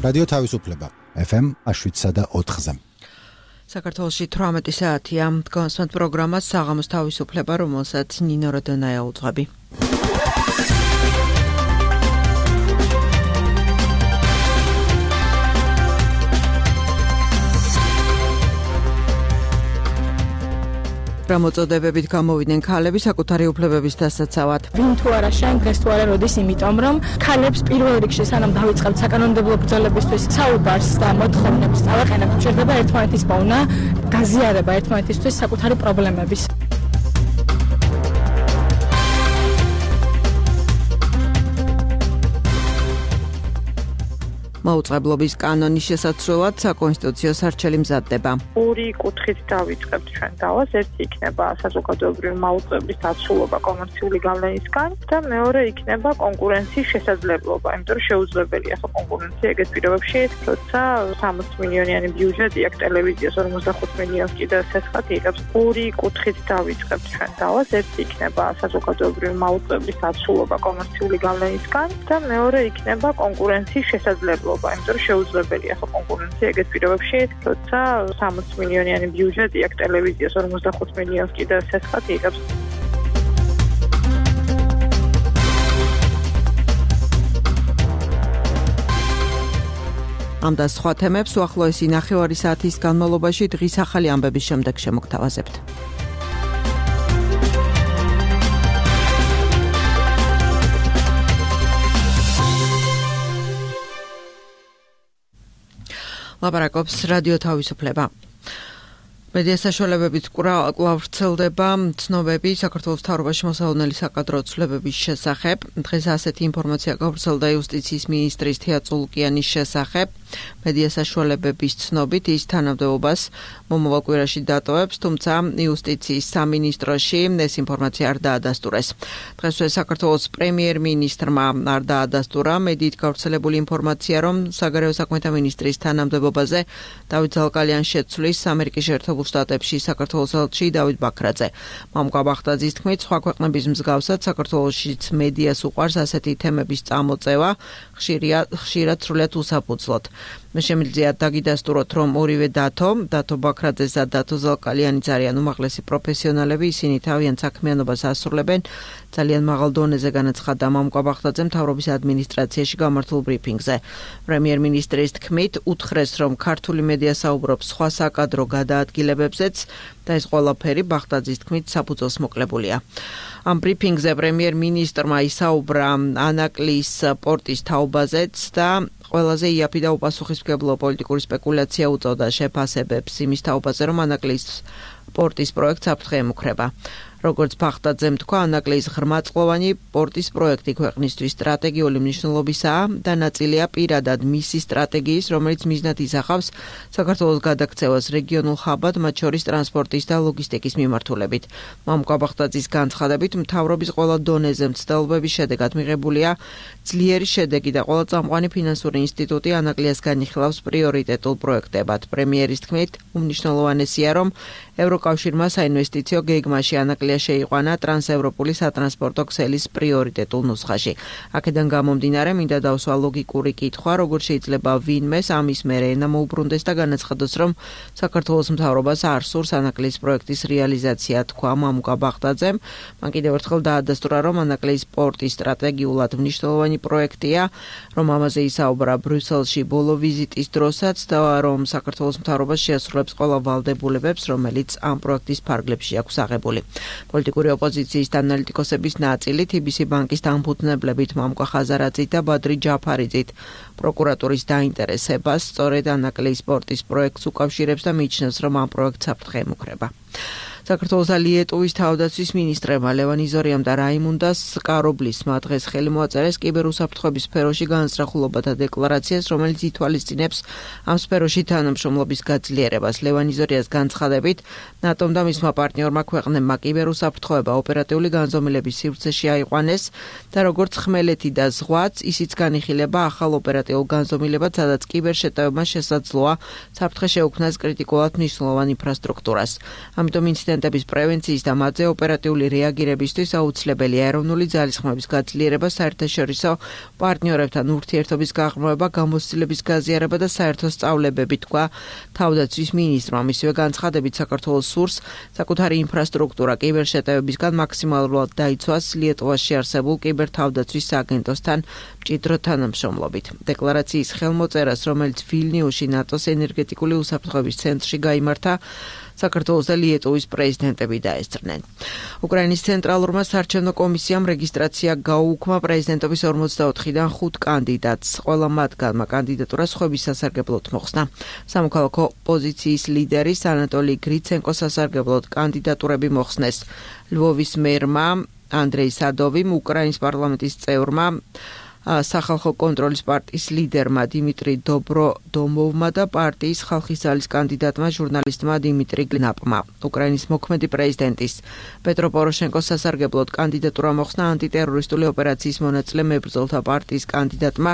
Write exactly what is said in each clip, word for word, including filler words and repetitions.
რადიო თავისუფლება ეფ ემ შვიდსა და ოთხზე. საქართველოში თვრამეტი საათია. დგომასვენთ პროგრამას საღამოს თავისუფლება, რომელსაც ნინო როდონაია უძღვები. რამოწოდებებით გამოვიდნენ ქალები საკუთარი უფლებების დასაცავად. ვინ თუ არა შენ, დღეს თუ არა როდის, იმიტომ რომ ქალებს პირველ რიგში სანამ დავიწყებთ საკანონმდებლო ბრძოლებისთვის საუბარს და მოთხოვნებს წავაყენებთ, შეიძლება ერთმანეთის პოვნა, გაზიარება ერთმანეთისთვის საკუთარი პრობლემების. მაუწყებლობის კანონის შესაცვლელად საკონსტიტუციო სარჩელი მზადდება. ორი კუთხით დავიწყებთ ჩვენ დავას. ერთი იქნება საზოგადოებრივი მაუწყებლის დაცულობა კომერციული გავლენისგან და მეორე იქნება კონკურენციის შესაძლებლობა. იმიტომ რომ შეუძლებელია ხო კონკურენცია ეგეთ პირობებში, როცა სამოცი მილიონიანი ბიუჯეტი აქვს ტელევიზიას ორმოცდახუთ მილიონს კიდევ სესხად იღებს. ორი კუთხით დავიწყებთ ჩვენ დავას. ერთი იქნება საზოგადოებრივი მაუწყებლის დაცულობა კომერციული გავლენისგან და მეორე იქნება კონკურენციის შესაძლებლობა. იმიტომ რომ შეუძლებელია ხო კონკურენცია ეგეთ პირობებში, როცა სამოცი მილიონიანი ბიუჯეტი აქვს ტელევიზიას ორმოცდახუთ მილიონს კიდევ სესხად იღებს. ამ და სხვა თემებს უახლოესი ნახევარი საათის განმავლობაში დღის ახალი ამბების შემდეგ შემოგთავაზებთ. ლაპარაკობს რადიო თავისუფლება. მედია საშუალებებით კვლავ ვრცელდება ცნობები საქართველოს მთავრობაში მოსალოდნელი საკადრო ცვლილებების შესახებ. დღეს ასეთი ინფორმაცია გავრცელდა იუსტიციის მინისტრის თეა წულუკიანის შესახებ. მედია საშუალებების ცნობით ის თანამდებობას მომავალ კვირაში დატოვებს, თუმცა იუსტიციის სამინისტროში ეს ინფორმაცია არ დაადასტურეს. დღესვე საქართველოს პრემიერ-მინისტრმა არ დაადასტურა მედიით გავრცელებული ინფორმაცია, რომ საგარეო საქმეთა მინისტრის თანამდებობაზე დავით ზალკალიანს შეცვლის ამერიკის შეერთებულ შტატებში საქართველოს ელჩი დავით ბაქრაძე. მამუკა ბახტაძის თქმით, სხვა ქვეყნების მსგავსად საქართველოშიც მედიას უყვარს ასეთი თემების წამოწევა, ხშირად სრულიად უსაფუძვლოდ. მე შემიძლია დაგიდასტუროთ, რომ ორივე დათო, დათო ბაქრაძეს და დათო ზალკალიანიც არიან უმაღლესი პროფესიონალები, ისინი თავიანთ საქმიანობას ასრულებენ ძალიან მაღალ დონეზე, განაცხადა მამუკა ბახტაძე მთავრობის ადმინისტრაციაში გამართულ ბრიფინგზე. პრემიერ-მინისტრის თქმით, უთხრეს, რომ ქართული მედია საუბრობს სხვა საკადრო გადაადგილებებზეც და ეს ყველაფერი ბახტაძის თქმით საფუძველს მოკლებულია. ამ ბრიფინგზე პრემიერ-მინისტრმა ისაუბრა ანაკლის პორტის თაობაზეც და ყველაზე იაფი და უპასუხისმგებლო პოლიტიკური სპეკულაცია უწოდა შეფასებებს იმის თაობაზე, რომ ანაკლის პორტის პროექტს საფრთხე ემუქრება. როგორც ბახტაძემ თქვა, ანაკლის ღრმაწყლოვანი პორტის პროექტი ქვეყნისთვის სტრატეგიული მნიშვნელობისაა და ნაწილია პირადად მისი სტრატეგიის, რომელიც მიზნად ისახავს საქართველოს გადაქცევას რეგიონულ ხაბად, მათ შორის ტრანსპორტის და ლოგისტიკის მიმართულებით. მამუკა ბახტაძის განცხადებით, მთავრობის ყველა დონეზე მცდელობების შედეგად მიღებულია ძლიერი შედეგი და ყველა წამყვანი ფინანსური ინსტიტუტი ანაკლიას განიხილავს პრიორიტეტულ პროექტებად. პრემიერის თქმით, უმნიშვნელოვანესია, რომ ევროკავშირმა საინვესტიციო გეგმაში ანაკლია შეიყვანა ტრანსევროპული სატრანსპორტო ქსელის პრიორიტეტულ ნუსხაში. აქედან გამომდინარე, მინდა დავსვა ლოგიკური კითხვა, როგორ შეიძლება ვინმეს ამის მერე ენა მოუბრუნდეს და განაცხადოს, რომ საქართველოს მთავრობას არ სურს ანაკლის პროექტის რეალიზაცია, თქვა მამუკა ბახტაძემ. მან კიდევ ერთხელ დაადასტურა, რომ ანაკლის პორტი სტრატეგიულად მნიშვნელოვანი პროექტია, რომ ამაზე ისაუბრა ბრიუსელში ბოლო ვიზიტის დროსაც და რომ საქართველოს მთავრობა შეასრულებს ყველა ვალდებულებებს, რომელიც ამ პროექტის ფარგლებში აქვს აღებული. პოლიტიკური ოპოზიციის და ანალიტიკოსების ნაწილი თი ბი სი ბანკის დამფუძნებლებით მამუკა ხაზარაძით და ბადრი ჯაფარიძით პროკურატურის დაინტერესებას სწორედ ანაკლის პორტის პროექტს უკავშირებს და მიიჩნევს, რომ ამ პროექტს საფრთხე ემუქრება. საქართველოს და ლიეტუვის თავდაცვის მინისტრებმა ლევან იზორიამ და რაიმუნდას კარობლისმა დღეს ხელი მოაწერეს კიბერუსაფრთხოების სფეროში განსწრახულობათა დეკლარაციას, რომელიც ითვალისწინებს ამ სფეროში თანამშრომლობის გაძლიერებას. ლევან იზორიას განცხადებით, ნატომ და მისმა პარტნიორმა ქვეყნებმა კიბერუსაფრთხოება ოპერატიული განზომილების სივრცეში აიყვანეს და როგორც ხმელეთი და ზღვაც, ისიც განიხილება ახალ ოპერატიულ განზომილებად, სადაც კიბერშეტევებმა შესაძლოა საფრთხე შეუქმნას კრიტიკულად მნიშვნელოვან ინფრასტრუქტურას. ამიტომ ინციდენტ ინციდენტების პრევენციის და მათზე ოპერატიული რეაგირებისთვის აუცილებელია ეროვნული ძალისხმების გაძლიერება, საერთაშორისო პარტნიორებთან ურთიერთობის გაღრმავება, გამოცდილების გაზიარება და საერთო სწავლებები, თქვა თავდაცვის მინისტრმა. მისივე განცხადებით საქართველოს სურს საკუთარი ინფრასტრუქტურა კიბერშეტევებისგან მაქსიმალურად დაიცვას ლიეტუვაში არსებულ კიბერთავდაცვის სააგენტოსთან მჭიდრო თანამშრომლობით. დეკლარაციის ხელმოწერას, რომელიც ვილნიუსში ნატოს ენერგეტიკული უსაფრთხოების ცენტრში გაიმართა, საქართველოს და ლიეტუვის პრეზიდენტები დაესწრნენ. უკრაინის ცენტრალურმა საარჩევნო კომისიამ რეგისტრაცია გაუუქმა პრეზიდენტობის ორმოცდაოთხიდან ხუთ კანდიდატს. ყველა მათგანმა კანდიდატურა სხვების სასარგებლოდ მოხსნა. სამოქალაქო ოპოზიციის ლიდერის ანატოლი გრიცენკოს სასარგებლოდ კანდიდატურები მოხსნეს. ლვოვის მერმა ანდრეი სადოვიმ, უკრაინის პარლამენტის წევრმა, სახალხო კონტროლის პარტიის ლიდერმა დიმიტრი დობროდომოვმა და პარტიის ხალხის ძალის კანდიდატმა ჟურნალისტმა დიმიტრი გნაპმა. უკრაინის მოქმედი პრეზიდენტის პეტრო პოროშენკოს სასარგებლოდ კანდიდატურა მოხსნა ანტიტერორისტული ოპერაციის მონაწილე მებრძოლთა პარტიის კანდიდატმა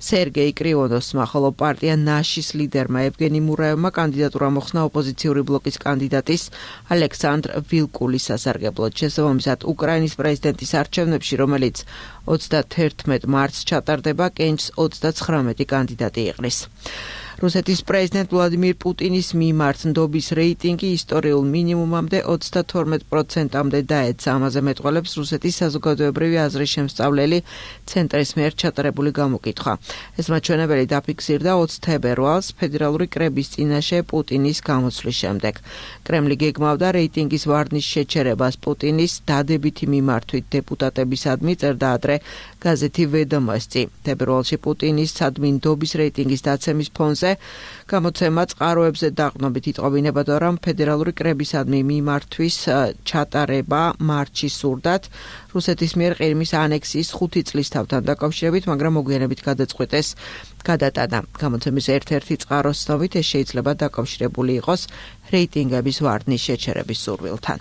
სერგეი კრიონოსმა, ხოლო პარტია ნაშის ლიდერმა ევგენი მურაევმა კანდიდატურა მოხსნა ოპოზიციური ბლოკის კანდიდატის ალექსანდრ ვილკულის სასარგებლოდ. შესაბამისად, უკრაინის პრეზიდენტის არჩევნებში, რომელიც ოცდაათერთმეტ მარტს ჩატარდება, კენჭს ოცდაცხრამეტი კანდიდატი იყრის. რუსეთის პრეზიდენტ ვლადიმირ პუტინის მიმართ ნდობის რეიტინგი ისტორიულ მინიმუმამდე ოცდათორმეტ პროცენტამდე დაეცა. ამაზე მეტყველებს რუსეთის საზოგადოებრივი აზრის შემსწავლელი ცენტრის მიერ ჩატარებული გამოკითხვა. ეს მაჩვენებელი დაფიქსირდა ოცი თებერვალს ფედერალური კრების წინაშე პუტინის გამოცვლის შემდეგ. კრემლი გეგმავდა რეიტინგის ვარნის შეჩერებას პუტინის დადებითი მიმართვით დეპუტატებისადმი, წერდა ადრე გაზეთი ვედომოსტი. თებერვალში პუტინის სადმი ნდობის რეიტინგის დაცემის ფონზე გამოცემა წყაროებზე დაყრდნობით იტყობინებოდა, რომ ფედერალური კრებისადმი მიმართვის ჩატარება მარტში სურდათ რუსეთის მიერ ყირიმის ანექსიის ხუთი წლის თავთან დაკავშირებით, მაგრამ მოგვიანებით გადაწყვეტეს გადატანა. გამოცემის ერთ-ერთი წყაროს ცნობით ეს შეიძლება დაკავშირებული იყოს რეიტინგების ვარდნის შეჩერების სურვილთან.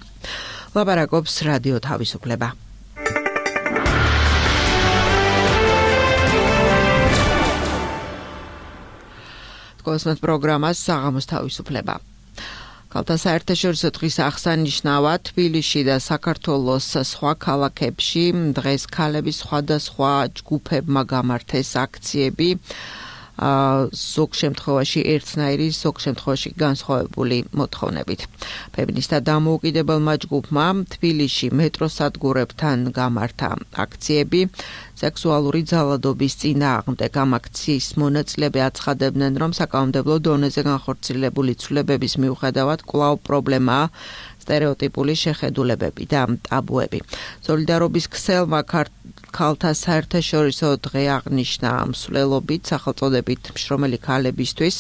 ლაპარაკობს რადიო თავისუფლება. კოსმოს პროგრამას საღამოს თავისუფლება. კალთა საერთაშორისო დღის აღსანიშნავად თბილისში და საქართველოს სხვა ქალაქებში დღეს ქალების სხვადასხვა ჯგუფებმა გამართეს აქციები. ზოგ შემთხვევაში ერთნაირი, ზოგ შემთხვევაში განსხვავებული მოთხოვნებით. ფემინისტთა დამოუკიდებელმა ჯგუფმა თბილისში მეტროსადგურებთან გამართა აქციები. სექსუალური ძალადობის წინააღმდეგ ამ აქციის მონაწილეები აცხადებდნენ, რომ საკანონმდებლო დონეზე განხორციელებული ცვლილებების მიუხედავად კვლავ პრობლემაა სტერეოტიპული შეხედულებები და ტაბუები. სოლიდარობის ქსელმა ქალთა საერთაშორისო დღე აღნიშნა მსვლელობით სახელწოდებით მშრომელი ქალებისთვის.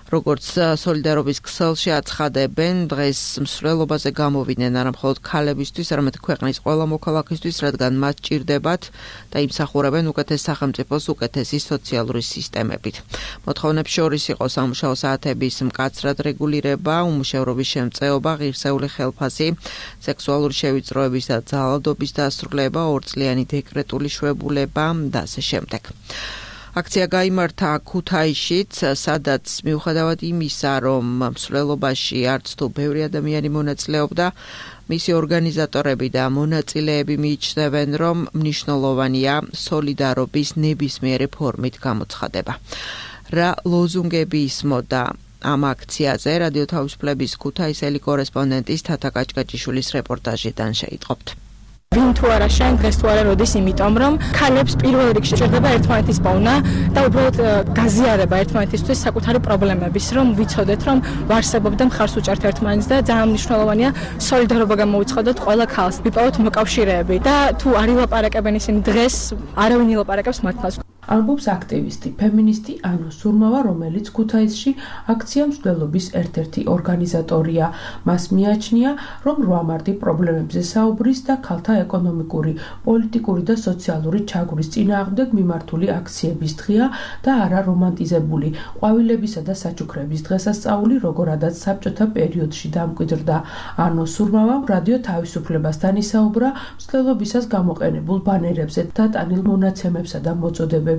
როგორც სოლიდარობის ქსელში აცხადებენ, დღეს მსვლელობაზე გამოვიდნენ არა მხოლოდ ქალებისთვის, არამედ ქვეყნის ყველა მოქალაქისთვის, რადგან მათ ჭირდებათ და იმსახურებენ უკეთეს სახელმწიფოს უკეთესი სოციალური სისტემებით. მოთხოვნებს შორის იყო სამუშაო საათების მკაცრად რეგულირება, უმუშევრობის შემწეობა, ღირსეული ხელფასი, სექსუალური შევიწროების და ძალადობის დასრულება, ორწლიანი დეკრეტული შვებულება და ასე შემდეგ. აქცია გაიმართა ქუთაისშიც, სადაც მიუხედავად იმისა, რომ მსვლელობაში არც თუ ბევრი ადამიანი მონაწილეობდა, მისი ორგანიზატორები და მონაწილეები მიიჩნევენ, რომ მნიშვნელოვანია სოლიდარობის ნებისმიერი ფორმით გამოცხადება. რა ლოზუნგები ისმოდა ამ აქციაზე, რადიო თავისუფლების ქუთაისელი კორესპონდენტის თათა კაჭკაჭიშვილის რეპორტაჟიდან შეიტყობთ. ვინ თუ არა შენ დღეს თუ არა როდის, იმიტომ რომ ქალებს პირველ რიგში ჭირდება ერთმანეთის პოვნა და უბრალოდ გაზიარება ერთმანეთისთვის საკუთარი პრობლემების, რომ ვიცოდეთ, რომ ვარსებობ და მხარს უჭერთ ერთმანეთს და ძალიან მნიშვნელოვანია სოლიდარობა გამოვიცხადოთ ყველა ქალს, ვიპოვოთ მოკავშირეები და თუ არ ილაპარაკებენ ისინი დღეს, არავინ ილაპარაკებს მართლაც. ამბობს აქტივისტი, ფემინისტი ანო სურმავა, რომელიც ქუთაისში აქცია მსვლელობის ერთ-ერთი ორგანიზატორია. მას მიაჩნია, რომ რვა მარტი პრობლემებზე საუბრის და ქალთა ეკონომიკური, პოლიტიკური და სოციალური ჩაგვრის წინააღმდეგ მიმართული აქციების დღეა და არა რომანტიზებული. ყვავილებისა და საჩუქრების დღესასწაული როგორადაც საბჭოთა პერიოდში დამკვიდრდა. ანო სურმავამ რადიო თავისუფლებასთან ისაუბრა მსვლელობისას გამოყენებულ ბანერებზე და ტანილ მონაცემებსა და მოწოდებებზე.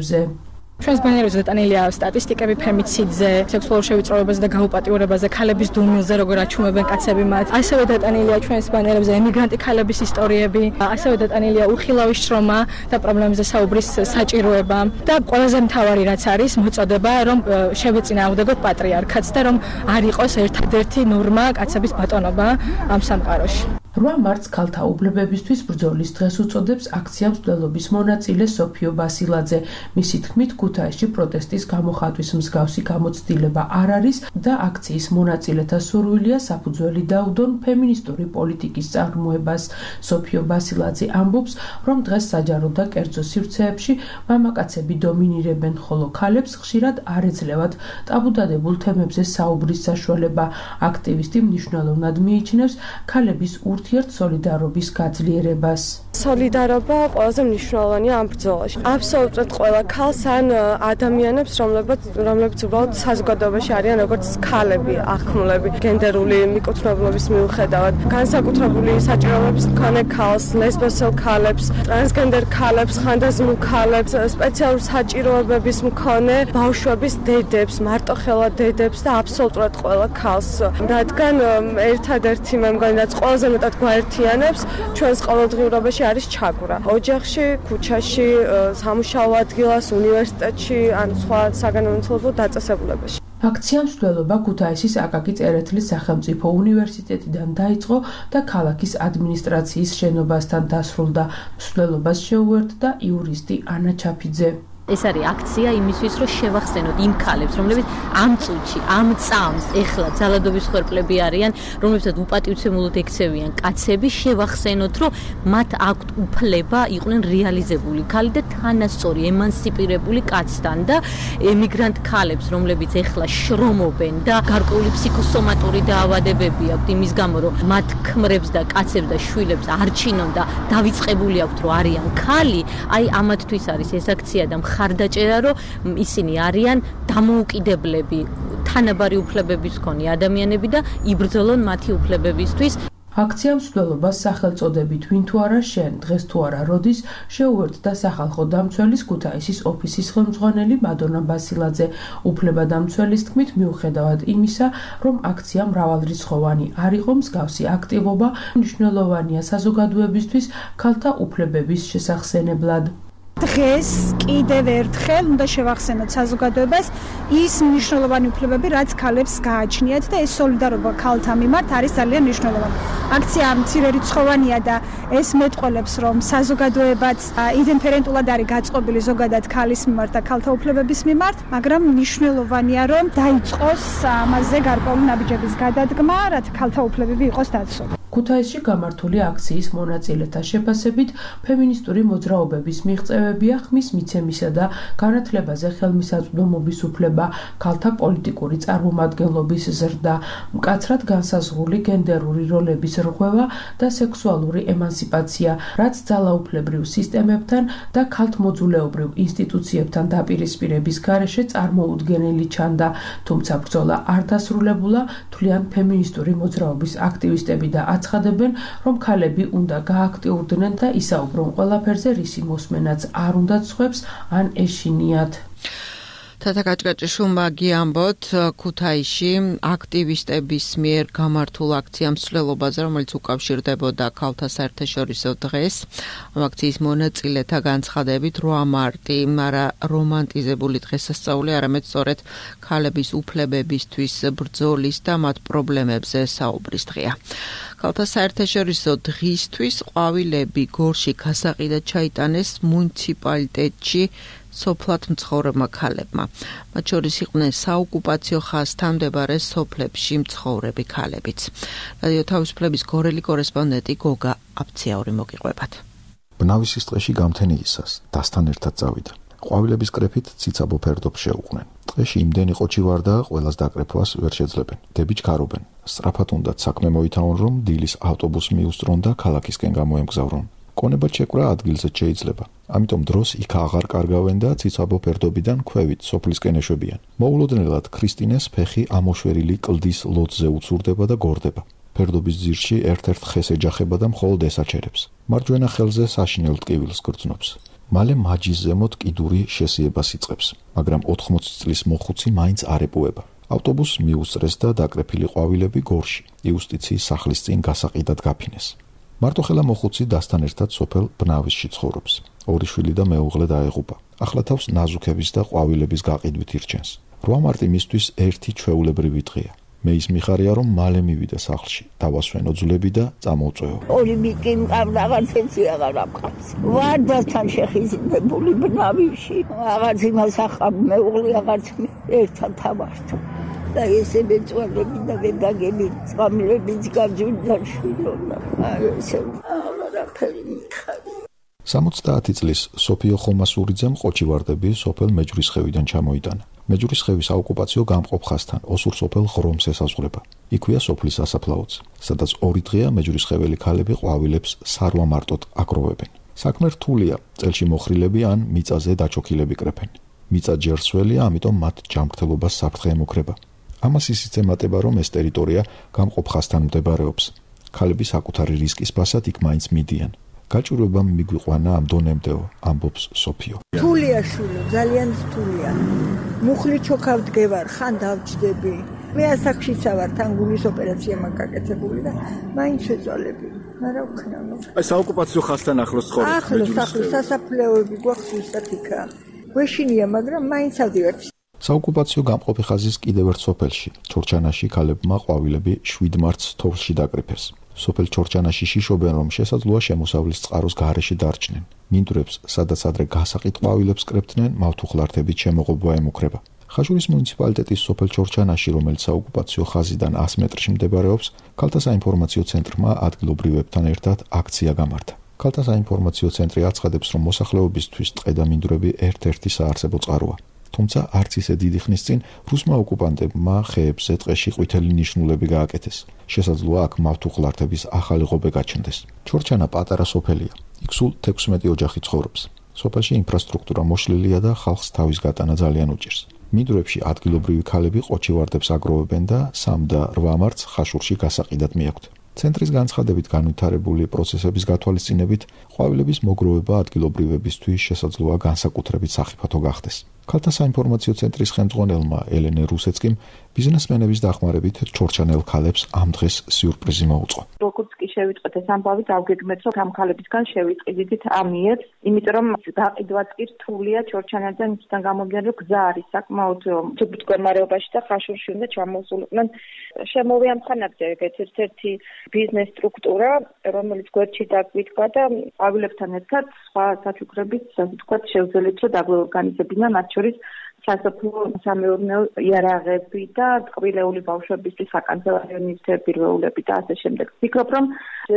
ჩვენს ბანერებზე დეტანილია სტატისტიკები ფემიციდზე, სექსუალურ შევიწროებაზე და გაუპატიურებაზე, ქალების დუმილზე, როგორ აჩუმებენ კაცები მათ. ასევე დეტანილია ჩვენს ბანერებზე ემიგრანტი ქალების ისტორიები, ასევე დეტანილია უხილავის შრომა და პრობლემებზე საუბრის საჭიროება და ყველაზე მთავარი რაც არის მოწოდება, რომ შევეწინააღმდეგოთ პატრიარქატს და რომ არ იყოს ერთადერთი ნორმა კაცების ბატონობა ამ სამყაროში. რვა მარტს ქალთა უფლებებისთვის ბრძოლის დღეს უწოდებს აქცია მსვლელობის მონაწილე სოფიო ბასილაძე. მისი თქმით, ქუთაისში პროტესტის გამოხატვის მსგავსი გამოცდილება არ არის და აქციის მონაწილეთა სურვილია საფუძველი დაუდონ ფემინისტური პოლიტიკის წარმოებას. სოფიო ბასილაძე ამბობს, რომ დღეს საჯარო და კერძო სივრცეებში მამაკაცები დომინირებენ, ხოლო ქალებს ხშირად არ ეძლევათ ტაბუდადებულ თემებზე საუბრის საშუალება. აქტივისტი მნიშვნელოვნად მიიჩნევს ქალების ურთიერთ სოლიდარობის გაძლიერებას. სოლიდარობა ყველაზე მნიშვნელოვანია ამ ბრძოლაში. აბსოლუტურად ყველა ქალს ან ადამიანებს, რომლებიც რომლებიც უბრალოდ საზოგადოებაში არიან როგორც ქალები, ახმლები, გენდერული მიკუთვნებლობის მიუხედავად, განსაკუთრებული საჭიროებების მქონე ქალს, ლესბოსელ ქალებს, ტრანსგენდერ ქალებს, ხანდაზმულ ქალებს, სპეციალურ საჭიროებების მქონე ბავშვების დედებს, მარტოხელა დედებს და აბსოლუტურად ყველა ქალს. რადგან ერთადერთი მე მგონი რაც ყველაზე მეტად გვაერთიანებს ჩვენს ყოველდღიურობაში არის ჩაგვრა. ოჯახში, ქუჩაში, სამუშაო ადგილას, უნივერსიტეტში, ან სხვა საგანმანათლებლო დაწესებულებაში. აქცია მსვლელობა ქუთაისის აკაკი წერეთლის სახელმწიფო უნივერსიტეტიდან დაიწყო და ქალაქის ადმინისტრაციის შენობასთან დასრულდა. მსვლელობას შეუერთდა იურისტი ანა ჩაფიძე. ეს არის აქცია იმისთვის, რომ შევახსენოთ იმ ქალებს, რომლებიც ამ წუთში, ამ წამს ეხლა ძალადობის ხერხლები არიან, რომლებსაც უპატივცემულოდ ექცევიან კაცები, შევახსენოთ, რომ მათ აქვთ უფლება იყვნენ რეალიზებული ქალი და თანასწორი, ემანსიპირებული კაცთან და ემიგრანტ ქალებს, რომლებიც ეხლა შრომობენ და გარკვეული ფსიქოსომატური დაავადებები აქვთ იმის გამო, რომ მათ ქმრებს და კაცებს და შვილებს არჩინონ და დავიწყებული აქვთ, რომ არიან ქალი, აი ამათთვის არის ეს აქცია და ხარდაჭერა, რომ ისინი არიან დამოუკიდებლები, თანაბარი უფლებების მქონე ადამიანები და იბრძოლონ მათი უფლებებისთვის. აქცია მსვლელობას სახელწოდებით ვინ თუ არა შენ, დღეს თუ არა როდის შეუერთდა სახალხო დამცველის ქუთაისის ოფისის ხელმძღვანელი მადონა ბასილაძე. უფლებადამცველის თქმით, მიუხედავად იმისა, რომ აქცია მრავალრიცხოვანი არ იყო, მსგავსი აქტივობა მნიშვნელოვანია საზოგადოებისთვის ქალთა უფლებების შესახსენებლად. დღეს კიდევ ერთხელ უნდა შევახსენოთ საზოგადოებას ის მნიშვნელოვანი უფლებები, რაც ქალებს გააჩნიათ და ეს სოლიდარობა ქალთა მიმართ არის ძალიან მნიშვნელოვანი. აქცია მცირერიცხოვანია და ეს მეტყველებს, რომ საზოგადოებაც იდენტიფერენტულად არის გაწყობილი ზოგადად ქალის მიმართ და ქალთა უფლებების მიმართ, მაგრამ მნიშვნელოვანია, რომ დაიწყოს ამაზე გარკვეული ნაბიჯების გადადგმა, რათა ქალთა უფლებები იყოს დაცული. ქუთაისში გამართული აქციის მონაწილეთა შეფასებით ფემინისტური მოძრაობების მიღწევებია ხმის მიცემისა და განათლებაზე ხელმისაწვდომობის უფლება, ქალთა პოლიტიკური წარმომადგენლობის ზრდა, მკაცრად განსაზღვრული გენდერული როლების რღვევა და სექსუალური ემანსიპაცია, რაც ძალაუფლებრივ სისტემებთან და ქალთმოძულეობრივ ინსტიტუციებთან დაპირისპირების გარეშე წარმოუდგენელი ჩანდა, თუმცა ბრძოლა არ დასრულებულა, თვლიან ფემინისტური მოძრაობის აქტივისტები და აცხადებენ, რომ ქალები უნდა გააქტიურდნენ და ისაუბრონ ყველაფერზე, რისი მოსმენაც არ უნდათ სხვებს ან ეშინიათ. თათა კაჭკაჭიშვილმა გიამბოთ ქუთაისში აქტივისტების მიერ გამართულ აქცია მსვლელობაზე, რომელიც უკავშირდებოდა ქალთა საერთაშორისო დღეს. ამ აქციის მონაწილეთა განცხადებით რვა მარტი არა რომანტიზებული დღესასწაული, არამედ სწორედ ქალების უფლებებისთვის ბრძოლის და მათ პრობლემებზე საუბრის დღეა. ქალთა საერთაშორისო დღისთვის ყვავილები გორში გასაყიდად ჩაიტანეს მუნიციპალიტეტში სოფლად მცხოვრებმა ქალებმა. მათ შორის იყვნენ საოკუპაციო ხაზთან მდებარე სოფლებში მცხოვრები ქალებიც. რადიო თავისუფლების გორელი კორესპონდენტი გოგა აფციაური მოგიყვებათ. ბნავისის ტყეში გამთენიისას დასთან ერთად წავიდა. ყვავილების კრეფით ციცაბო ფერდობს შეუყვნენ. ტყეში იმდენი ყოჩი ვარდა, ყველას დაკრეფვას ვერ შეძლებენ. დები ჩქარობენ. სწრაფად უნდათ საქმე მოითავონ, რომ დილის ავტობუსი მიუსწრონ და ქალაქისკენ გამოემგზავრონ. კონებად შეკვრა ადგილზე შეიძლება. ამიტომ დროს იქ აღარ კარგავენ და ციცაბო ფერდობიდან ქვევით სოფლისკენ ეშვებიან. მოულოდნელად ქრისტინეს ფეხი ამოშვერილი კლდის ლოძზე უცურდება და გორდება. ფერდობის ძირში ერთ-ერთ ხეს ეჯახება და მხოლოდ ესაჩერებს. მარჯვენა ხელზე საშინელ ტკივილს გრძნობს. მალე მაჯის ზემოთ კიდური შესიებას იწყებს. მაგრამ ოთხმოცი წლის მოხუცი მაინც არ ეპუება. ავტობუსს მიუსწრეს და დაკრეფილი ყვავილები გორში, იუსტიციის სახლის წინ გასაყიდად გაფინეს. მარტოხელა მოხუცი დასთან ერთად სოფელ ბნავისში ცხოვრობს. ორი შვილი და მეუღლე დაეღუპა. ახლა თავს ნაზუქების და ყვავილების გაყიდვით ირჩენს. რვა მარტი მისთვის ერთი ჩვეულებრივი დღეა. მე ის მიხარია, რომ მალე მივიდა სახლში, დავასვენო ძვლები და წამოვწვევო. ორი მიკი მყავს, რაღაც ერთი აღარ ამყავს. ვარდასთან შეხიზნებული ბნავისში, რაღაც იმას ახავ, მეუღლე რაღაც ერთად თამაშობ. და ესე მეწვალები და ვეგაგები წამლებიც გაძვიდა შვილონა. აი ესე აღარაფერი მიხარი. სამოცდაათი წლის სოფიო ხომასურიძემ ყოჩივარდები სოფელ მეჯვრისხევიდან ჩამოიტანა. მეჯვრისხევის საოკუპაციო გამყოფ ხაზთან ოსურ სოფელ ღრომს ესაზღვრება. იქვეა სოფლის სასაფლაოც, სადაც ორი დღეა მეჯვრისხეველი ქალები ყვავილებს სარვა მარტოდ აგროვებენ. საქმე რთულია, წელში მოხრილები ან მიწაზე დაჩოქილები კრეფენ. მიწა ჯერსველია, ამიტომ მათ ჯანმრთელობას საფრთხე ემუქრება. ამას ისიც ემატება, რომ ეს ტერიტორია გამყოფ ხაზთან მდებარეობს. ქალები საკუთარი რისკის ფასად იქ მაინც მიდიან. გაჭირვებამ მიგვიყვანა ამ დონემდეო, ამბობს სოფიო. რთულია შვილო, ძალიან რთულია. მუხლი ჩოქავდგევარ, ხან დავჭდები. მე ასაკშიცა ვარ, თან გულის ოპერაცია მაგაკეთებული და მაინც ეწოლები. მაგრამ ვქნა. აი საოკუპაციო ხაზთან ახლოს ცხოვრობ. ახლოს, ახლოს სასაფლაოები გვაქვს ზუსტად იქა. გვეშინია, მაგრამ მაინც ავდივარ. საოკუპაციო გამყოფი ხაზის კიდევ ერთ სოფელში, ჩორჩანაში ქალებმა ყვავილები შვიდ მარტს თოვლში დაკრიფეს. სოფელ ჩორჩანაში შიშობენ, რომ შესაძლოა შემოსავლის წყაროს გარეშე დარჩნენ. მინდვრებს, სადაც ადრე გასაყიდ ყვავილებს კრეფდნენ, მავთუხლართებით შემოღობა ემუქრება. ხაშურის მუნიციპალიტეტის სოფელ ჩორჩანაში, რომელიც საოკუპაციო ხაზიდან ას მეტრში მდებარეობს, ქალთა საინფორმაციო ცენტრმა ადგილობრივებთან ერთად აქცია გამართა. ქალთა საინფორმაციო ცენტრი აცხადებს, რომ მოსახლეობისთვის ტყე და მინდვრები ერთ-ერთი საარსებო წყაროა. თუმცა არც ისე დიდი ხნის წინ რუსმა ოკუპანტებმა ხეებზე ტყეში ყვითელი ნიშნულები გააკეთეს. შესაძლოა აქ მავთუხლართების ახალი ღობე გაჩნდეს. ჩორჩანა პატარა სოფელია. იქ სულ თექვსმეტი ოჯახი ცხოვრობს. სოფელში ინფრასტრუქტურა მოშლილია და ხალხს თავის გატანა ძალიან უჭირს. მინდვრებში ადგილობრივი ქალები ყოჩივარდებს აგროვებენ და სამ და რვა მარტს ხაშურში გასაყიდად მიაქვთ. ცენტრის განცხადებით განვითარებული პროცესების გათვალისწინებით, ყვავილების მოგროვება ადგილობრივებისთვის შესაძლოა განსაკუთრებით სახიფათო გახდეს. ქალთა საინფორმაციო ცენტრის ხელმძღვანელმა ელენე რუსეცკიმ ბიზნესმენების დახმარებით ჩორჩანელ ქალებს ამ დღეს სიურპრიზი მოუწყო. როგორც კი შევიტყვეთ ეს ამბავი, დავგეგმეთ, რომ ამ ქალებისგან შევიტყიდით ამიერს, იმიტომ რომ გაყიდვაც კი რთულია ჩორჩანელთან, ისთან გამომდინარე, რომ გზა არის საკმაოდ ჯგუფ მდგომარეობაში და ხაშურში უნდა ჩამოსულიყვნენ. შემოვიამხანაგდა ეგეთ ერთ-ერთი ბიზნეს სტრუქტურა, რომელიც გვერდში დაგვიდგა და ყვავილებთან ერთად სხვა საჩუქრებით, ასე ვთქვათ, შევძელით, რომ დაგვორგანიზებინონ მათ შორის სასოფლო სამეურნეო იარაღები და ტყბილეული ბავშვებისთვის საკანცელარიო ნივთებირვეულები და ასე შემდეგ. ვფიქრობ, რომ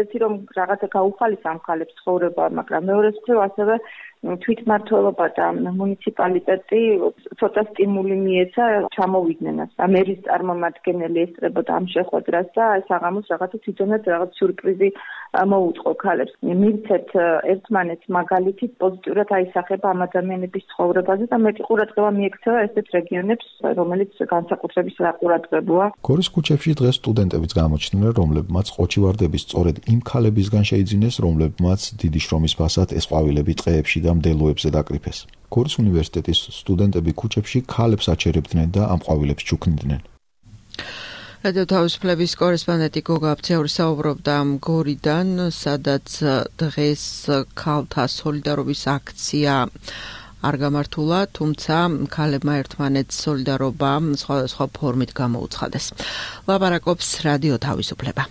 ერთი რომ რაღაცა გაუხალის ამ ქალებს ცხოვრება, მაგრამ მეორე მხრივ ასევე თვითმმართველობა და მუნიციპალიტეტი ცოტა სტიმული მიეცა ჩამოვიდნენ ამ ამერის წარმომადგენელი ესწრებოდა ამ შეხვედრას და ეს აღამოს რაღაცა თვითონაც რაღაც სიურპრიზი მოუწყო ქალებს. მივცეთ ერთმანეთს მაგალითით პოზიტიურად აისახება ამ ადამიანების ცხოვრებაზე და მეტი ყურადღება მიექცევა ესეთ რეგიონებს, რომელიც განსაკუთრებით ყურადღებაა. გორის ქუჩებში დღეს სტუდენტებიც გამოჩნდნენ, რომლებმაც ყოჩივარდების სწორედ იმ ქალებისგან შეიძინეს, რომლებმაც დიდი შრომის ფასად ეს ყვავილები ტყეებში და მდელოებზე დაკრიფეს. გორის უნივერსიტეტის სტუდენტები ქუჩებში ქალებს აჩერებდნენ და ამ ყვავილებს ჩუქნიდნენ. რადიო თავისუფლების კორესპონდენტი გოგა აფციური საუბრობდა გორიდან, სადაც დღეს ქალთა სოლიდარობის აქცია არ გამართულა, თუმცა ქალებმა ერთმანეთს სოლიდარობა სხვადასხვა ფორმით გამოუცხადეს. ლაპარაკობს რადიო თავისუფლება.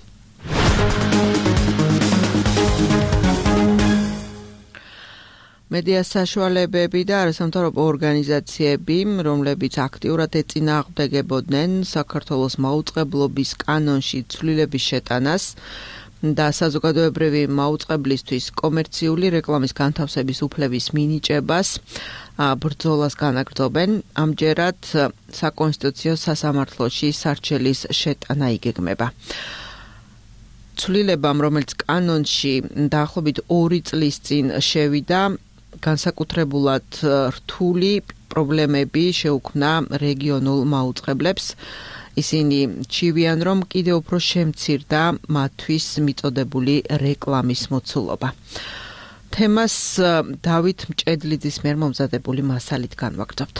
მედია საშუალებები და არასამთავრობო ორგანიზაციები, რომლებიც აქტიურად ეწინააღმდეგებოდნენ საქართველოს მაუწყებლობის კანონში ცვლილების შეტანას და საზოგადოებრივი მაუწყებლისთვის კომერციული რეკლამის განთავსების უფლების მინიჭებას, ბრძოლას განაგრძობენ. ამჯერად საკონსტიტუციო სასამართლოში სარჩელის შეტანა იგეგმება. ცვლილებამ, რომელიც კანონში დაახლოებით ორი წლის წინ შევიდა, განსაკუთრებულად რთული პრობლემები შეუქმნა რეგიონულ მაუწყებლებს. ისინი ჩივიან, რომ კიდევ უფრო შემცირდა მათთვის მიწოდებული რეკლამის მოცულობა. თემას დავით მჭედლიძის მიერ მომზადებული მასალით განვაგრძობთ.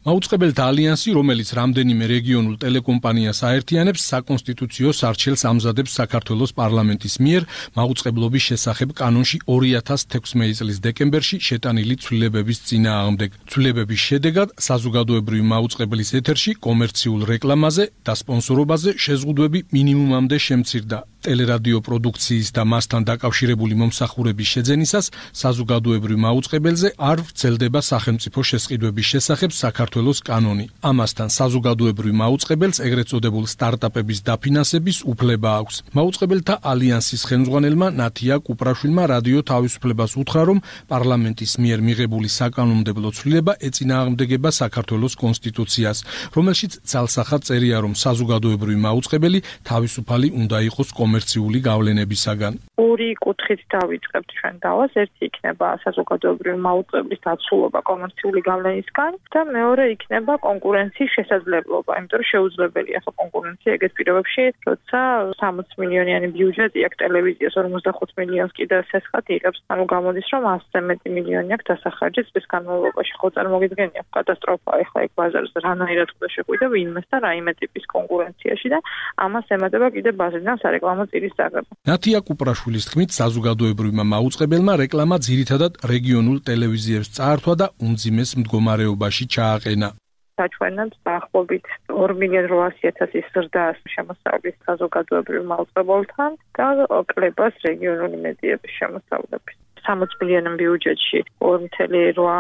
მაუწყებელთა ალიანსი, რომელიც რამდენიმე რეგიონულ ტელეკომპანიას აერთიანებს, საკონსტიტუციო სარჩელს ამზადებს საქართველოს პარლამენტის მიერ მაუწყებლობის შესახებ კანონში ორი ათას თექვსმეტი წლის დეკემბერში შეტანილი ცვლილებების წინააღმდეგ. ცვლილებების შედეგად საზოგადოებრივი მაუწყებლის ეთერში კომერციულ რეკლამაზე და სპონსორობაზე შეზღუდვები მინიმუმამდე შემცირდა. ტელერადიო პროდუქციის და მასთან დაკავშირებული მომსახურების შეძენისას საზოგადოებრივ მაუწყებელზე არ ვრცელდება სახელმწიფო შესყიდვების შესახებ საქართველოს კანონი. ამასთან საზოგადოებრივ მაუწყებელს ეგრეთ წოდებულ სტარტაპების დაფინანსების უფლება აქვს. მაუწყებელთა ალიანსის ხელმძღვანელმა ნათია კუპრაშვილმა რადიო თავისუფლებას უთხრა, რომ პარლამენტის მიერ მიღებული საკანონმდებლო ცვლილება ეწინააღმდეგება საქართველოს კონსტიტუციას, რომელშიც ძალსახად წერია, რომ საზოგადოებრივი მაუწყებელი თავისუფალი უნდა იყოს კომერციული გავლენებისაგან. ორი კუთხით დავიწყებთ ჩვენ დავას. ერთი იქნება საზოგადოებრივი მაუწყებლის დაცულობა კომერციული გავლენისგან და მეორე იქნება კონკურენციის შესაძლებლობა. იმიტომ რომ შეუძლებელია ხო კონკურენცია ეგეთ პირობებში, როცა სამოცი მილიონიანი ბიუჯეტი აქვს ტელევიზიას, ორმოცდახუთ მილიონს კიდევ სესხად იღებს. ანუ გამოდის, რომ ასზე მეტი მილიონი აქვს დასახარჯი წლის განმავლობაში. ხო წარმოგიდგენია კატასტროფა ახლა ეგ ბაზარზე რანაირად უნდა შეგვიდა ვინმეს და რაიმე ტიპის კონკურენციაში და ამას ემატება კიდევ ბაზრიდან სარეკლამო წირის წაგება. ნათია კუპრაშვილის თქმით, საზოგადოებრივმა მაუწყებელმა რეკლამა ძირითადად რეგიონულ ტელევიზიებს წაართვა და უმძიმეს მდგომარეობაში ჩააყენა. საჩვენებს დაახლოებით ორი მილიონი რვაასი ათასის ზრდას შემოსავლის საზოგადოებრივ მაუწყებელთან და კლებას რეგიონული მედიების შემოსავლების. სამოცი მილიონი ბიუჯეტში ორი წელი რვა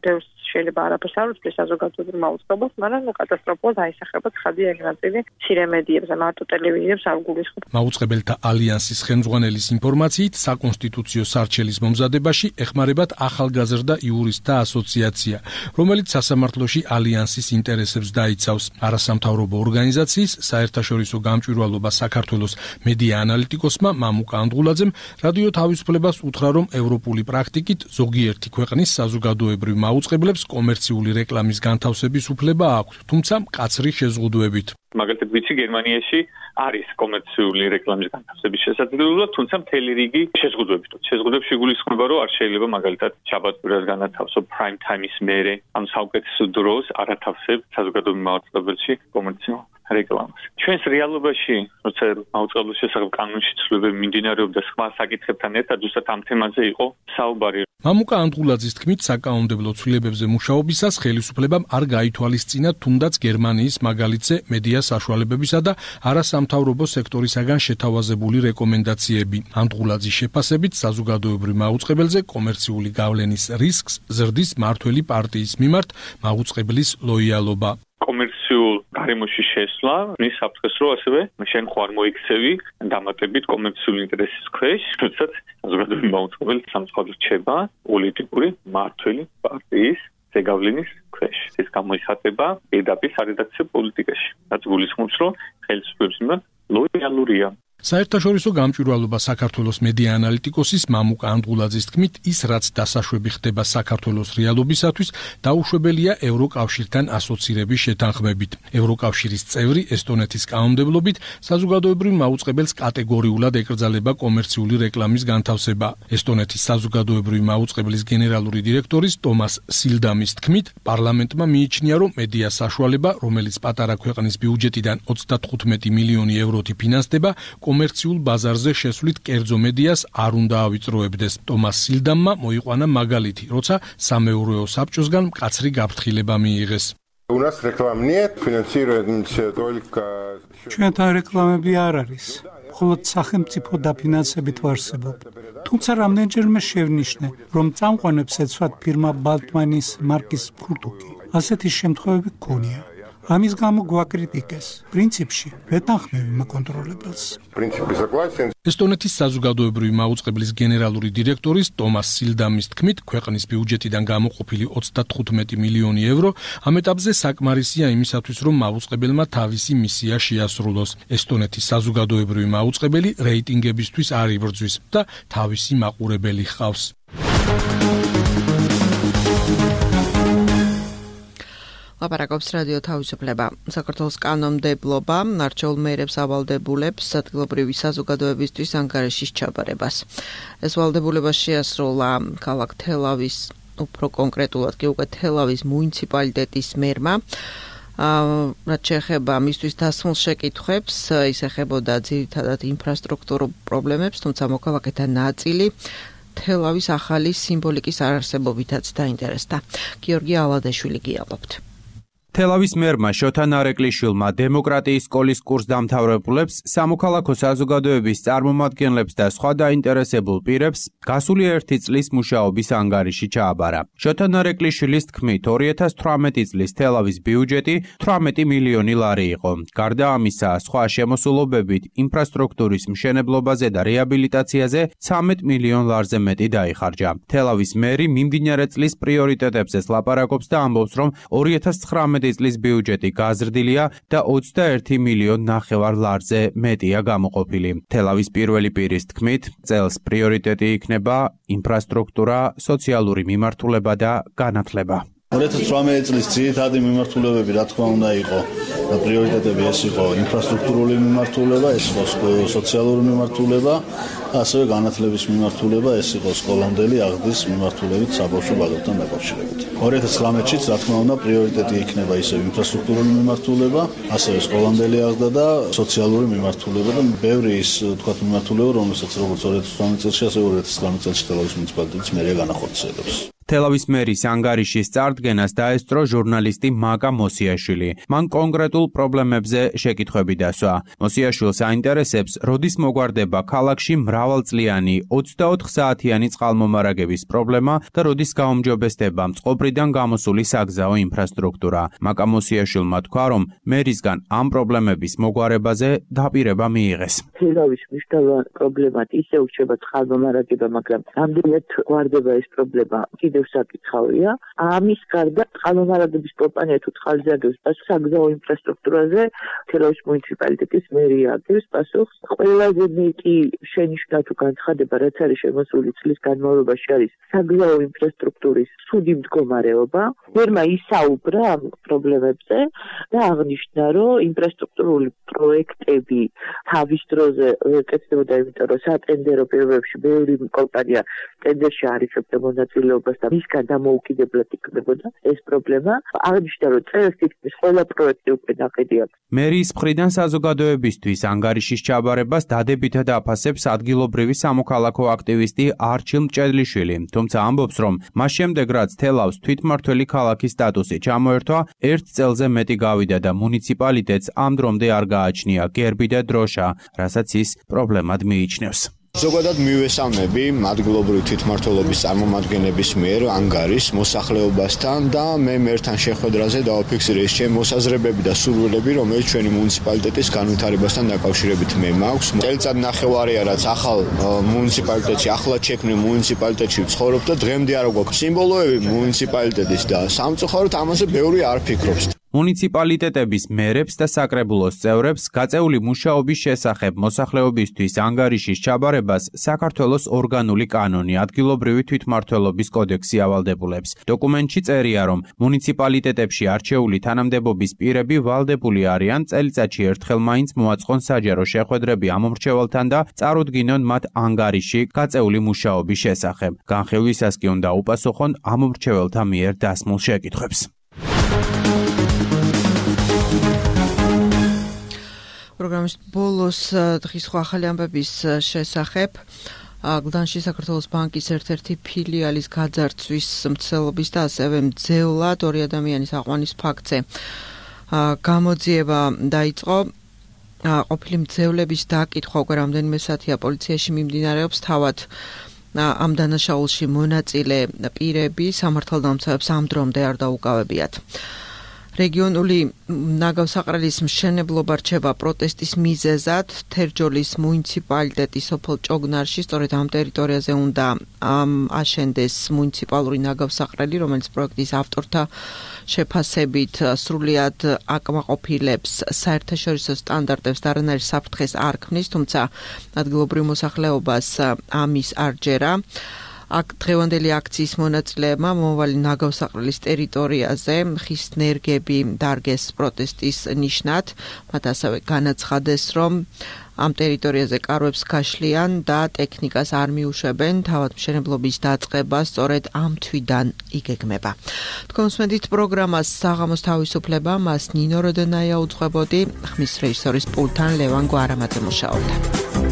ბევრს შეიძლება არაფერს არ უწევს საზოგადოებრივ მაუწყებელს, მაგრამ კატასტროფულად აისახება ცხადი ეგ ნაწილი მცირე მედიებზე, მარტო ტელევიზიებს არ გულისხმობ. მაუწყებელთა ალიანსის ხელმძღვანელის ინფორმაციით, საკონსტიტუციო სარჩელის მომზადებაში ეხმარებათ ახალგაზრდა იურისტთა ასოციაცია, რომელიც სასამართლოში ალიანსის ინტერესებს დაიცავს. არასამთავრობო ორგანიზაციის საერთაშორისო გამჭვირვალობა საქართველოს მედია ანალიტიკოსმა მამუკა ანდღულაძემ რადიო თავისუფლებას უთხრა, რომ ევროპული პრაქტიკით ზოგიერთი ქვეყნის საზოგადოებრივ მაუწყებლებს კომერციული რეკლამის განთავსების უფლება აქვს, თუმცა მკაცრი შეზღუდვებით. მაგალითად, ვიცი გერმანიაში არის კომერციული რეკლამის განთავსების შესაძლებლობა, თუმცა მთელი რიგი შეზღუდვებით. შეზღუდვებში გულისხმობა, რომ არ შეიძლება მაგალითად შაბათ-კვირას განათავსო prime time-ის მერე, ან საუკეთესო დროს არ ათავსებ საზოგადოებრივ მაუწყებელში კომერციულ რეკლამას. ჩვენს რეალობაში, როცა მაუწყებლის შესახებ კანონში ცვლილებები მიმდინარეობდა სხვა საკითხებთან ერთად, ზუსტად ამ თემაზე იყო საუბარი. მამუკა ანდღულაძის თქმით, საკანონმდებლო ცვლილებებზე მუშაობისას ხელისუფლებამ არ გაითვალისწინა თუნდაც გერმანიის მაგალითზე მედია საშუალებებისა და არასამთავრობო სექტორისაგან შეთავაზებული რეკომენდაციები. ანდღულაძის შეფასებით, საზოგადოებრივ მაუწყებელზე კომერციული გავლენის რისკს ზრდის მართველი პარტიის მიმართ მაუწყებლის ლოიალობა. კომერციულ გარემოში შესვლა, მის საფრთხეს რო ასევე შენ ხო არ მოიქცევი დამატებით კომერციული ინტერესის ქვეშ, როდესაც საზოგადოებრივი მაუწყებელი სამწუხაროდ რჩება პოლიტიკური მმართველი პარტიის ზეგავლენის ქვეშ. ეს გამოიხატება ედაპის არედაქციო პოლიტიკაში, რაც გულისხმობს, რომ ხელისუფლების მიმართ ლოიალურია. საერთაშორისო გამჭვირვალობა საქართველოს მედია ანალიტიკოსის მამუკა ანდღულაძის თქმით, ის რაც დასაშვები ხდება საქართველოს რეალობისათვის, დაუშვებელია ევროკავშირთან ასოცირების შეთანხმებით. ევროკავშირის წევრი ესტონეთის კანონმდებლობით საზოგადოებრივ მაუწყებელს კატეგორიულად ეკრძალება კომერციული რეკლამის განთავსება. ესტონეთის საზოგადოებრივი მაუწყებლის გენერალური დირექტორის ტომას სილდამის თქმით, პარლამენტმა მიიჩნია, რომ მედია საშუალება, რომელიც პატარა ქვეყნის ბიუჯეტიდან ოცდათხუთმეტი მილიონი ევროთი ფინანსდება, კომერციულ ბაზარზე შესვლით კერძო მედიას არ უნდა ავიწროებდეს. ტომას სილდამმა მოიყვანა მაგალითი, როცა სამეურვეო საბჭოსგან მკაცრი გაფრთხილება მიიღეს. ჩვენთან რეკლამები არ არის. მხოლოდ სახელმწიფო დაფინანსებით ვარსებობ. თუმცა რამდენჯერმე შევნიშნე, რომ წამყვანებს ეცვათ ფირმა ბალტმანის მარკის ფურტუკი. ასეთი შემთხვევები გქონია. ამის გამო გვაკრიტიკეს. პრინციპში ვეთანხმები მაკონტროლებელს. ესტონეთის საზოგადოებრივი მაუწყებლის გენერალური დირექტორის ტომას სილდამის თქმით, ქვეყნის ბიუჯეტიდან გამოყოფილი ოცდათხუთმეტი მილიონი ევრო ამ ეტაპზე საკმარისია იმისათვის, რომ მაუწყებელმა თავისი მისია შეასრულოს. ესტონეთის საზოგადოებრივი მაუწყებელი რეიტინგებისთვის არ იბრძვის და თავისი მაყურებელი ჰყავს. ლაპარაკობს რადიო თავისუფლება. საქართველოს კანონმდებლობა არჩეულ მეერებს ავალდებულებს ადგილობრივი საზოგადოებისთვის ანგარიშის ჩაბარებას. ეს ვალდებულება შეასრულა ქალაქ თელავის უფრო კონკრეტულად კი უკვე თელავის მუნიციპალიტეტის მერმა. რაც შეეხება მისთვის დასმულ შეკითხვებს, ის ეხებოდა ძირითადად ინფრასტრუქტურულ პრობლემებს, თუმცა მოქალაქეთა ნაწილი თელავის ახალი სიმბოლიკის არარსებობითაც დაინტერესდა. გიორგი ალადეშვილი გიალობთ. თელავის მერმა შოთა ნარეკლიშვილმა დემოკრატიის სკოლის კურსდამთავრებულებს, სამოქალაქო საზოგადოების წარმომადგენლებს და სხვა დაინტერესებულ პირებს გასული ერთი წლის მუშაობის ანგარიში ჩააბარა. შოთა ნარეკლიშვილის თქმით, ორი ათას თვრამეტი წლის თელავის ბიუჯეტი თვრამეტი მილიონი ლარი იყო. გარდა ამისა, სხვა შემოსულობებით ინფრასტრუქტურის მშენებლობაზე და რეაბილიტაციაზე ცამეტ მილიონ ლარზე მეტი დაიხარჯა. თელავის მერი მიმდინარე წლის პრიორიტეტებზეც ლაპარაკობს და ამბობს, რომ ორი ათას ცხრამეტი წლის ბიუჯეტი გაზრდილია და ოცდაერთი მილიონ ნახევარ ლარზე მეტია გამოყოფილი. თელავის პირველი პირის თქმით, წელს პრიორიტეტი იქნება ინფრასტრუქტურა, სოციალური მიმართულება და განათლება. ორი ათას თვრამეტი წლის ძირითადი მიმართულებები, რა თქმა უნდა, იყო და პრიორიტეტები ეს იყო ინფრასტრუქტურული მიმართულება, ეს იყო სოციალური მიმართულება, ასევე განათლების მიმართულება, ეს იყო სკოლამდელი აღზრდის მიმართულებით საბავშვო ბაღებთან დაკავშირებით. ორი ათას ცხრამეტშიც, რა თქმა უნდა, პრიორიტეტი იქნება ისევ ინფრასტრუქტურული მიმართულება, ასევე სკოლამდელი აღზრდა და სოციალური მიმართულება და ბევრი ის თქვათ მიმართულება, რომელსაც როგორც ორი ათას თვრამეტი წელს, ასევე ორი ათას ცხრამეტი წელს თელავის მუნიციპალიტეტის მერია განახორციელებს. თელავის მერის ანგარიშის წარდგენას დაესწრო ჟურნალისტი მაკა მოსიაშვილი. მან კონკრეტულ პრობლემებზე შეკითხვები დასვა. მოსიაშვილს აინტერესებს, როდის მოგვარდება ქალაქში მრავალწლიანი ოცდაოთხ საათიანი წყალმომარაგების პრობლემა და როდის გაუმჯობესდება წყობრიდან გამოსული საგზაო ინფრასტრუქტურა. მაკა მოსიაშვილმა თქვა, რომ მერისგან ამ პრობლემების მოგვარებაზე დაპირება მიიღეს. თელავის მნიშვნელოვანი პრობლემად ისე ურჩება წყალმომარაგება, მაგრამ რამდენად გვარდება ეს პრობლემა? კიდევ საკითხავია. ამის გარდა წყალმომარაგების კომპანია თუ წყალზე აგებს პასუხს საგზაო ინფრასტრუქტურაზე თელავის მუნიციპალიტეტის მერია აგებს პასუხს. ყველაზე მეტი შენიშვნა თუ განცხადება, რაც არის შემოსული წლის განმავლობაში, არის საგზაო ინფრასტრუქტურის ცუდი მდგომარეობა. მერმა ისაუბრა ამ პრობლემებზე და აღნიშნა, რომ ინფრასტრუქტურული პროექტები თავის დროზე კეთდებოდა, იმიტომ რომ სატენდერო პირობებში ბევრი კომპანია ტენდერში არიცხებდა მონაწილეობას და მისგან დამოუკიდებლად იქნებოდა ეს პრობლემა. აღნიშნა, რომ წელს თითქმის ყველა პროექტი უკვე ნაყიდი აქვს. მერის მხრიდან საზოგადოებისთვის ანგარიშის ჩაბარებას დადებითად აფასებს ადგილობრივი სამოქალაქო აქტივისტი არჩილ მჭედლიშვილი, თუმცა ამბობს, რომ მას შემდეგ რაც თელავს თვითმმართველი ქალაქის სტატუსი ჩამოერთვა, ერთ წელზე მეტი გავიდა და მუნიციპალიტეტს ამ დრომდე არ გააჩნია გერბი და დროშა, რასაც ის პრობლემად მიიჩნევს. ზოგადად მივესალმები ადგილობრივი თვითმმართველობის წარმომადგენლების მიერ ანგარის მოსახლეობასთან და მე მერთან შეხვედრაზე დავაფიქსირე ის ჩემი მოსაზრებები და სურვილები, რომელიც ჩვენი მუნიციპალიტეტის განვითარებასთან დაკავშირებით მე მაქვს. წელიწად ნახევარია, რაც ახალ მუნიციპალიტეტში, ახლად შექმნილ მუნიციპალიტეტში ვცხოვრობ და დღემდე არ გვაქვს სიმბოლოები მუნიციპალიტეტის და სამწუხაროდ ამაზე ბევრი არ ფიქრობს. მუნიციპალიტეტების მერებს და საკრებულოს წევრებს გაწეული მუშაობის შესახებ მოსახლეობისთვის ანგარიშის ჩაბარებას საქართველოს ორგანული კანონი ადგილობრივი თვითმმართველობის კოდექსი ავალდებულებს. დოკუმენტში წერია, რომ მუნიციპალიტეტებში არჩეული თანამდებობის პირები ვალდებული არიან წელიწადში ერთხელ მაინც მოაწყონ საჯარო შეხვედრები ამ მომრჩეველთან და წარუდგინონ მათ ანგარიში გაწეული მუშაობის შესახებ. განხილვისას კი უნდა უპასუხონ ამ მომრჩეველთა მიერ დასმულ შეკითხვებს. პროგრამის ბოლოს დღის სხვა ახალი ამბების შესახებ გლდანში საქართველოს ბანკის ერთ-ერთი ფილიალის გაძარცვის მცდელობის და ასევე მძევლად ორი ადამიანის აყვანის ფაქტზე გამოძიება დაიწყო. ყოფილი მძევლების დაკითხვა უკვე რამდენიმე საათია პოლიციაში მიმდინარეობს. თავად ამ დანაშაულში მონაწილე პირები სამართალდამცავებს ამ დრომდე არ დაუკავებიათ. რეგიონული ნაგავსაყრელის მშენებლობა რჩება პროტესტის მიზეზად. თერჯოლის მუნიციპალიტეტის სოფელ ჭოგნარში სწორედ ამ ტერიტორიაზე უნდა აშენდეს მუნიციპალური ნაგავსაყრელი, რომელიც პროექტის ავტორთა შეფასებით სრულიად აკმაყოფილებს საერთაშორისო სტანდარტებს და არანაირ საფრთხეს არ ქმნის, თუმცა ადგილობრივ მოსახლეობას ამის არ ჯერა. აქ დღევანდელი აქციის მონაწილეებმა მომავალი ნაგავსაყრელის ტერიტორიაზე ხის ნერგები დარგეს პროტესტის ნიშნად. მათ ასევე განაცხადეს, რომ ამ ტერიტორიაზე კარვებს გაშლიან და ტექნიკას არ მიუშვებენ, თავადმშენებლობის დაწყება სწორედ ამ თვიდან იგეგმება. თქვენ უსმენთ პროგრამას საღამოს თავისუფლება, მას ნინო როდენაია უძღვებოდი, ხმის რეჟისორის პულტთან ლევან გვარამაძე მუშაობდა.